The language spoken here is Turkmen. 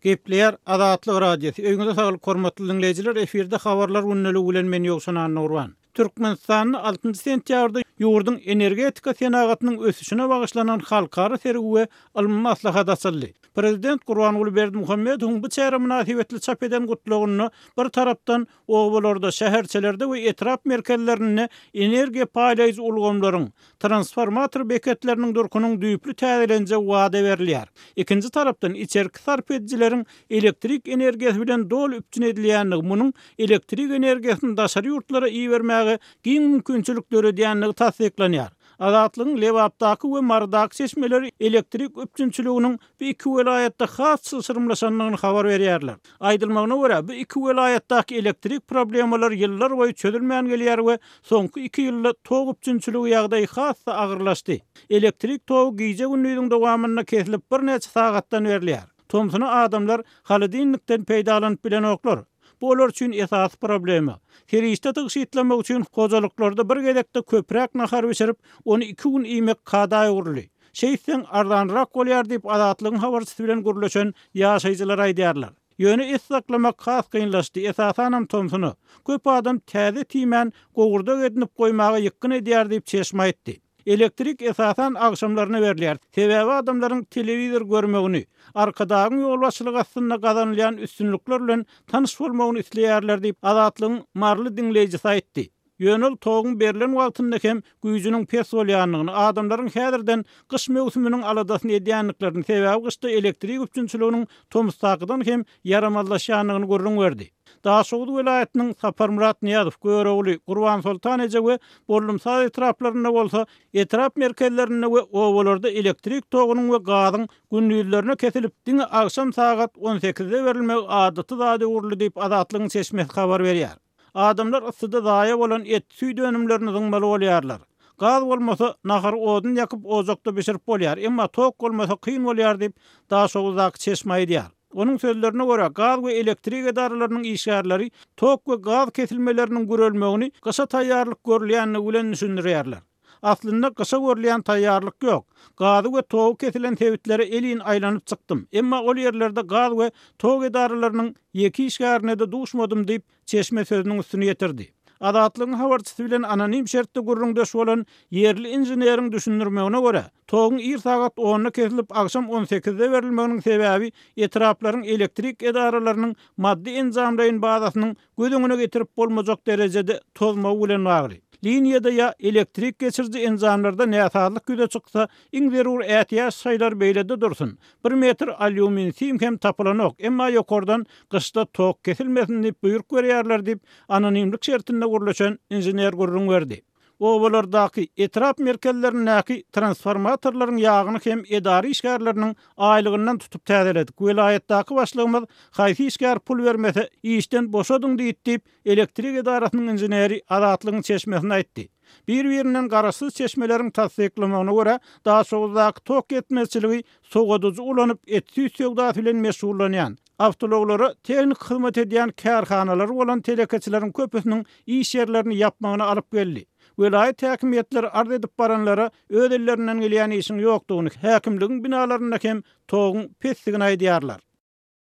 Gepleýär Azatlyk Radiosy. Öýüňize saglyk hormatly diňleýjiler, efirde habarlar gündeligi bilen men Ýowşan Annagurban. Türkmenistanda altynjy sentýabrda ýurduň energetika senagatynyň ösüşine bagyşlanan halkara sergi we ylmy maslahat açyldy. Prezident Gurbanguly Berdimuhamedowyň bu çäre mynasybetli çap eden gutlagynda bir tarapdan obalarda, şäherçelerde we etrap merkezlerinde energiýa paýlaýjy ulgamlaryň, transformator beketleriniň durkunyň düýpli täzelenjegi wada berilýär. Ikinji tarapdan, içerki sarp edijileriň elektrik energiýasy bilen doly üpjün edilýändigi, munuň elektrik energiýasyny daşary ýurtlara ibermäge giň mümkinçilik döredýändigi tassyklanýar. Azatlygyň Lebapdaky we Marydaky çeşmeleri elektrik üpjünçiliginiň bu iki welaýatda has çylşyrymlaşandygyny habar berýärler. Aýdylmagyna görä, bu iki welaýatdaky elektrik problemalary ýyllar boýy çözülmän gelýär we soňky iki ýylda tok üpjünçiligi ýagdaýy has-da agyrlaşdy. Elektrik togy gije-gündiziň dowamynda kesilip birnäçe sagatdan berilýär. Tomsuna adamlar holodilnikden peýdalanyp bilenoklar. Bu olar üçin esasy problema. Serişde tygşytlamak üçin hojalyklarda bir gezekde köpräk nahar bişirip, ony iki gün iýmek kada öwrüldi. Şeýtseň, arzanrak bolýar diýip, Azatlygyň habarçysy bilen gürleşen ýaşaýjylar aýdýarlar. Ýöne et saklamak has kynlaşdy, esasanam tomsuna. Köp adam täze tiýmän, gowurdak edinip goýmaga ýykgyn edýär diýip, çeşme aýtdy. Elektrik esasan agşamlaryna berilýär, sebäbi adamlaryň telewizor görmegini, Arkadagyň ýolbaşçylygy astynda gazanylýan üstünlikler bilen tanyş bolmagyny isleýärler diýip, Azatlygyň maryly diňleýjisi aýtdy. Ýöne ol toguň berlen wagtynda hem güýjüniň pes bolýandygyny, adamlaryň häzirden gyş möwsüminiň aladasyny edýändiklerini, sebäbi gyşda elektrik üpjünçiliginiň tomusdakydan hem ýaramazlaşýandygyny gürrüň berdi. Daşoguz welaýatynyň Saparmyrat Nyýazow, Görogly, Gurbansoltan eje we Bollumsaz etraplarynda bolsa, etrap merkezlerinde we obalarda elektrik togunyň we gazyň gündizlerine kesilip, diňe agşam sagat on sekizde berilmegi adaty zada öwrüldi diýip, Azatlygyň çeşmesi habar berýär. Adamlar yssyda zaýa bolan et, süýt önümlerini zyňmaly bolýarlar. Gaz bolmasa, nahary odun ýakyp ojakda bişirip bolýar, emma tok bolmasa kyn bolýar diýip, Daşoguzdaky çeşme aýdýar. Onuň sözlerine görä, gaz we elektrik edaralarynyň işgärleri tok we gaz kesilmeleriniň gürelmegini gyşa taýýarlyk görülýändigi bilen düşündirýärler. Aslynda gyşa görülýän taýýarlyk ýok. Gazy we togy kesilen sebitlere elin aýlanyp çykdym. Emma ol ýerlerde gaz we tok edaralarynyň ýeke işgärine-de duşmadym diýip, çeşme sözüniň üstüni ýetirdi. Azatlygyň habarçysy bilen anonim şertde gürrüňdeş bolan ýerli inženeriň düşündirmegine görä, toguň ir sagat onda kesilip, agşam on sekizde berilmeginiň sebäbi etraplaryň elektrik edaralarynyň maddy-enjamlaýyn bazasynyň göz öňüne getirip bolmajak derejede tozmagy bilen bagly. Liniýada ýa elektrik geçiriji enjamlarda näsazlyk ýüze çyksa, iň zerur ätiýaç şaýlar beýlede dursun, bir metr alýumin sim hem tapylanok, emma ýokardan gyşda tok kesilmesin diýip buýruk berýärler diýip, anonimlik şertinde gürleşen inžener gürrüň berdi. Obalardaky, etrap merkezlerindäki transformatorlaryň ýagyny hem edara işgärleriniň aýlygyndan tutup täzeledik. Welaýatdaky başlygymyz haýsy işgär pul bermese, işden boşadyň diýdi diýip, elektrik edarasynyň inženeri Azatlygyň çeşmesine aýtdy. Bir-birinden garaşsyz çeşmeleriň tassyklamagyna görä, Daşoguzdaky tok ýetmezçiligi sowadyjy ulanyp et-süýt söwdasy bilen meşgullanýan, awtoulaglara tehniki hyzmat edýän kärhanalary bolan telekeçileriň köpüsiniň iş ýerlerini ýapmagyna alyp geldi. Welaýat häkimiýetleri arz edip baranlara öz ellerinden gelýän işiň ýokdugyny, häkimligiň binalarynda hem toguň pesdigini aýdýarlar.